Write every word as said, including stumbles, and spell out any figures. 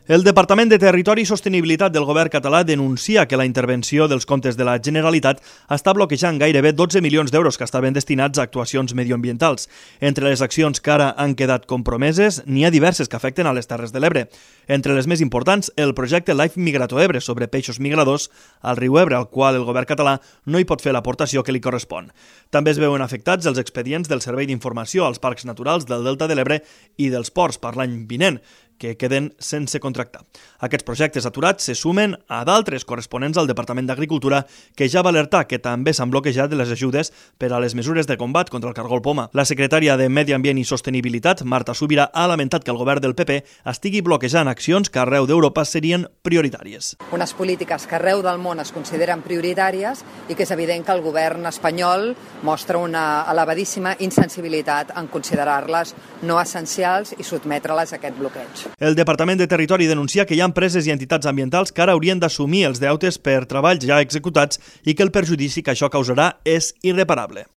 El Departament de Territori i Sostenibilitat del govern català denuncia que la intervenció dels comptes de la Generalitat està bloquejant gairebé dotze milions d'euros que estaven destinats a actuacions mediambientals. Entre les accions que ara han quedat compromeses, n'hi ha diverses que afecten a les Terres de l'Ebre. Entre les més importants, el projecte Life Migrato Ebre sobre peixos migradors al riu Ebre, al qual el govern català no hi pot fer l'aportació que li correspon. També es veuen afectats els expedients del Servei d'Informació als Parcs Naturals del Delta de l'Ebre i dels ports per l'any vinent, que queden sense contractar. Aquests projectes aturats se sumen a d'altres corresponents al Departament d'Agricultura, que ja va alertar que també s'han bloquejat les ajudes per a les mesures de combat contra el cargol poma. La secretària de Medi Ambient i Sostenibilitat, Marta Subirà, ha lamentat que el govern del P P estigui bloquejant accions que arreu d'Europa serien prioritàries. Unes polítiques que arreu del món es consideren prioritàries i que és evident que el govern espanyol mostra una elevadíssima insensibilitat en considerar-les no essencials i sotmetre-les a aquest bloqueig. El Departament de Territori denuncia que hi ha empreses i entitats ambientals que ara haurien d'assumir els deutes per treballs ja executats i que el perjudici que això causarà és irreparable.